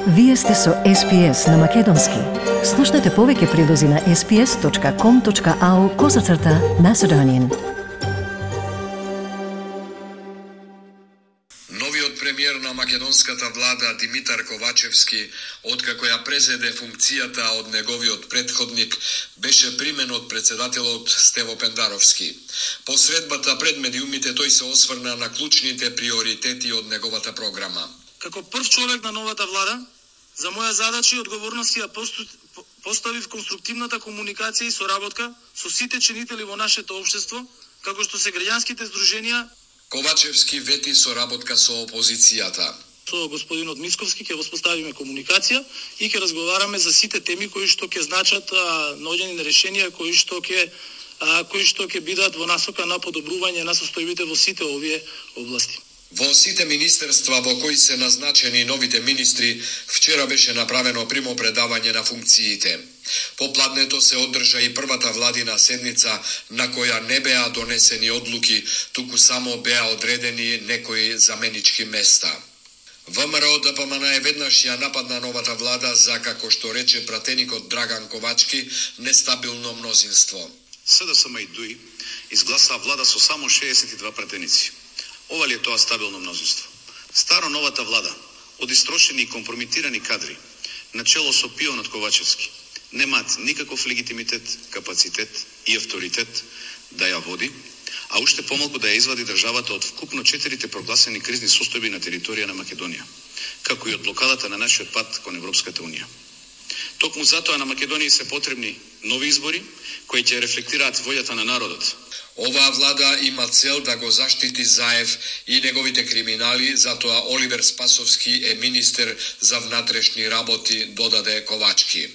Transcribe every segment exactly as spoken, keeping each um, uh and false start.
Вие сте со Ес Би Ес на Македонски. Слушнете повеќе прилози на ес би ес точка ком точка ау козацрта Macedonian. Новиот премиер на македонската влада Димитар Ковачевски, откако ја презеде функцијата од неговиот претходник, беше примен од председателот Стево Пендаровски. По средбата пред медиумите тој се осврна на клучните приоритети од неговата програма. Како прв човек на новата влада, за моја задача и одговорности ја поставив конструктивната комуникација и соработка со сите чинители во нашето општество, како што се граѓанските здруженија. Ковачевски вети соработка со опозицијата. Со господинот Мицковски ќе воспоставиме комуникација и ќе разговараме за сите теми кои што ќе значат наоѓање на решенија кои што ќе кои што ќе бидат во насока на подобрување на состојбите во сите овие области. Во сите министерства во кои се назначени новите министри, вчера беше направено примопредавање на функциите. Попладнето се одржа и првата владина седница на која не беа донесени одлуки, туку само беа одредени некои заменички места. ВМРО Д П М Н е веднаш ја нападна новата влада за, како што рече пратеникот Драган Ковачки, нестабилно мнозинство. С Д С М и Д У И изгласа влада со само шеесет и два пратеници. Ова ли е тоа стабилно мнозинство? Старо новата влада, од истрошени и компрометирани кадри, начело со пионот Ковачевски, немаат никаков легитимитет, капацитет и авторитет да ја води, а уште помалку да ја извади државата од вкупно четирите прогласени кризни состојби на територија на Македонија, како и од блокадата на нашиот пат кон Европската унија. Токму затоа на Македонија се потребни нови избори, кои ќе рефлектираат волјата на народот. Оваа влада има цел да го заштити Заев и неговите криминали, затоа Оливер Спасовски е министер за внатрешни работи, додаде Ковачки.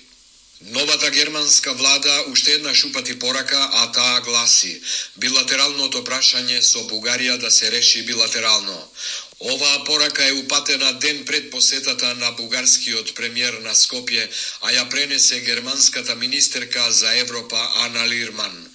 Новата германска влада уште еднаш упати порака, а таа гласи: билатералното прашање со Бугарија да се реши билатерално. Оваа порака е упатена ден пред посетата на бугарскиот премиер на Скопје, а ја пренесе германската министерка за Европа Ана Лирман.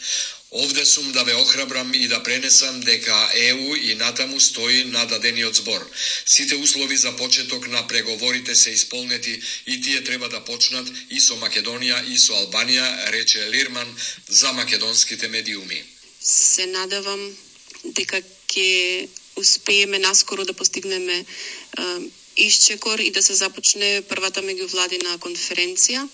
Овде сум да ве охрабрам и да пренесам дека Е У и натаму стои на дадениот збор. Сите услови за почеток на преговорите се исполнети и тие треба да почнат и со Македонија и со Албанија, рече Лирман за македонските медиуми. Се надевам дека ќе успееме наскоро да постигнеме е, исчекор и да се започне првата меѓувладина конференција.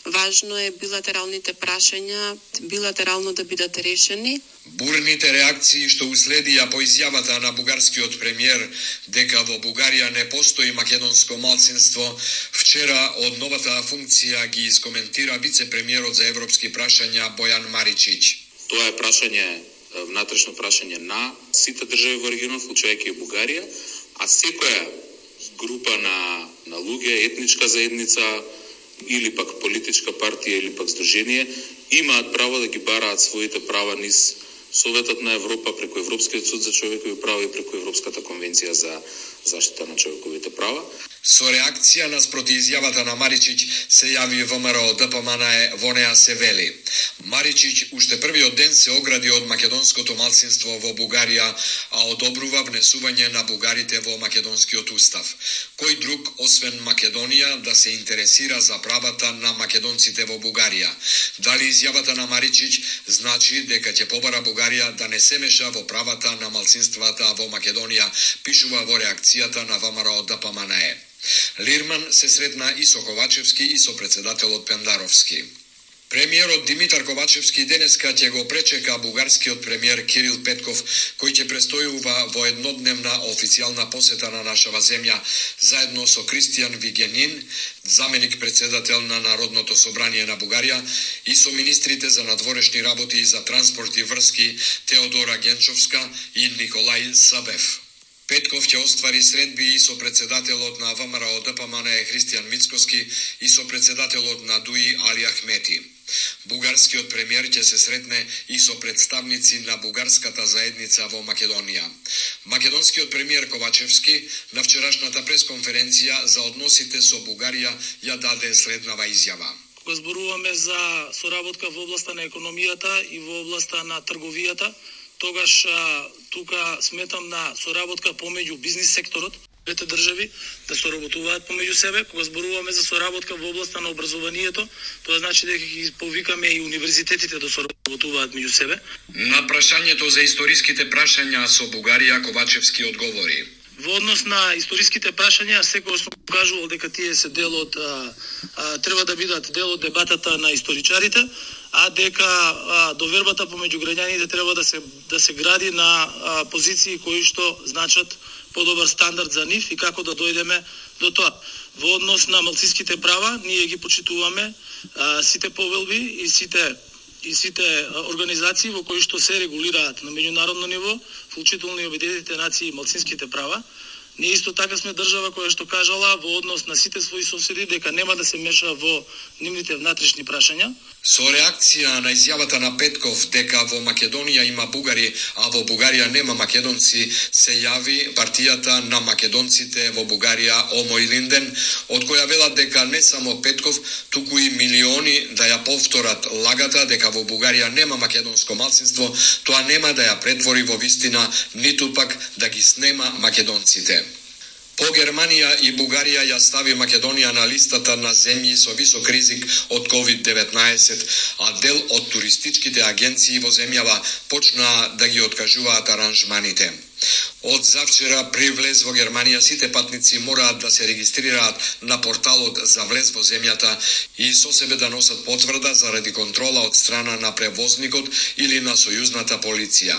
Важно е билатералните прашања билатерално да бидат решени. Бурните реакции што уследија по изјавата на бугарскиот премиер дека во Бугарија не постои македонско малцинство, вчера од новата функција ги искоментира вице-премиерот за европски прашања Бојан Маричич. Тоа е прашање, внатрешно прашање на сите држави во регионот, вклучувајќи и Бугарија, а секоја група на на луѓе, етничка заедница или пак политичка партија или пак здружение имаат право да ги бараат своите права низ Советот на Европа, преку Европскиот суд за човекови права и преку Европската конвенција за заштита на човековите права. Со реакција наспроти изјавата на Маричич се јави ВМРО Д П М Н е, во неа се вели: Маричич уште првиот ден се огради од македонското малцинство во Бугарија, а одобрува внесување на бугарите во македонскиот устав. Кој друг освен Македонија да се интересира за правата на македонците во Бугарија? Дали изјавата на Маричич значи дека ќе побара Бугарија да не се меша во правата на малцинствата во Македонија, пишува во реакцијата на ВМРО Д П М Н е. Лирман се сретна и со Ковачевски и со председателот Пендаровски. Премиерот Димитар Ковачевски денеска ќе го пречека бугарскиот премиер Кирил Петков, кој ќе престојува во еднодневна официјална посета на нашава земја, заедно со Кристијан Вигенин, заменик председател на Народното собрание на Бугарија, и со министрите за надворешни работи и за транспорт и врски Теодора Генчовска и Николај Сабев. Петков ќе оствари средби и со председателот на ВМРО Д П М Н е Христијан Мицкоски и со председателот на Д У И Али Ахмети. Бугарскиот премиер ќе се сретне и со представници на бугарската заедница во Македонија. Македонскиот премиер Ковачевски на вчерашната пресконференција за односите со Бугарија ја даде следнава изјава. Кога зборуваме за соработка во областа на економијата и во областа на трговијата, тогаш тука сметам на соработка помеѓу бизнис секторот, двете држави да соработуваат помеѓу себе. Кога зборуваме за соработка во областа на образованието, тоа значи дека ги повикаме и универзитетите да соработуваат меѓу себе. На прашањето за историските прашања со Бугарија Ковачевски одговори. Во однос на историските прашања, секогаш сум кажувал дека тие се дел од а, а, треба да бидат дел од дебатата на историчарите, а дека а, довербата помеѓу граѓаните треба да се да се гради на а, позиции кои што значат подобар стандард за нив и како да дојдеме до тоа. Во однос на малцинските права, ние ги почитуваме а, сите повелби и сите и сите организации во кои што се регулираат на меѓународно ниво, вклучително и Обединетите нации и малцинските права. Ние исто така сме држава која што кажала во однос на сите своји соседи дека нема да се меша во нивните внатрешни прашања. Со реакција на изјавата на Петков дека во Македонија има бугари, а во Бугарија нема македонци, се јави партијата на македонците во Бугарија Омо и Линден, од која велат дека не само Петков, туку и милиони да ја повторат лагата дека во Бугарија нема македонско малцинство, тоа нема да ја претвори во вистина, ниту пак да ги снема македонците. По Германија и Бугарија ја стави Македонија на листата на земји со висок ризик од ковид деветнаесет, а дел од туристичките агенции во земјава почнаа да ги откажуваат аранжманите. Од завчера при влез во Германија сите патници мораат да се регистрираат на порталот за влез во земјата и со себе да носат потврда заради контрола од страна на превозникот или на сојузната полиција.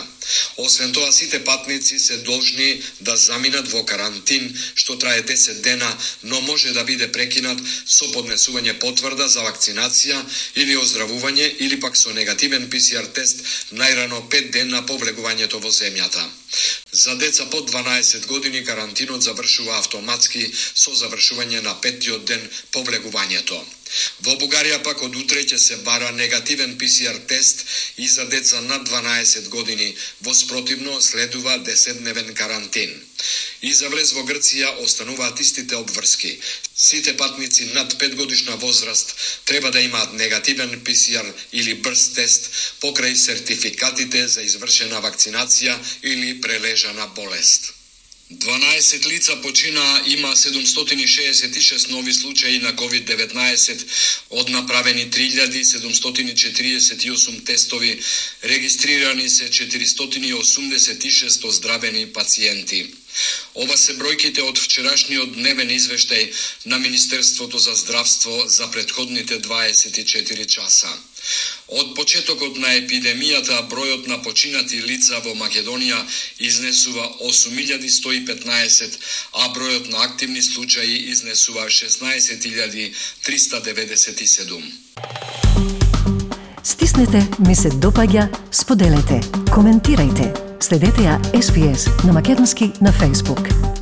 Освен тоа, сите патници се должни да заминат во карантин, што трае десет дена, но може да биде прекинат со поднесување потврда за вакцинација или оздравување или пак со негативен пе се ар тест најрано пет дена по влегувањето во земјата. За деца под дванаесет години карантинот завршува автоматски со завршување на петтиот ден по влегувањето. Во Бугарија пак од утре ќе се бара негативен пе се ар тест и за деца над дванаесет години, во спротивно следува десетдневен карантин. И за влез во Грција остануваат истите обврски. Сите патници над пет годишна возраст треба да имаат негативен пе се ар или брз тест покрај сертификатите за извршена вакцинација или прележана болест. дванаесет лица почина, има седумстотини шеесет и шест нови случаи на ковид деветнаесет, од направени три илјади седумстотини четириесет и осум тестови, регистрирани се четиристотини осумдесет и шест оздравени пациенти. Ова се бројките од вчерашниот дневен извештај на Министерството за здравство за претходните дваесет и четири часа. Од почетокот на епидемијата, бројот на починати лица во Македонија изнесува осум илјади сто и петнаесет, а бројот на активни случаи изнесува шеснаесет илјади триста деветдесет и седум. Стиснете, ми се допаѓа, споделете, коментирајте. Следете ја Ес Би Ес на македонски на Facebook.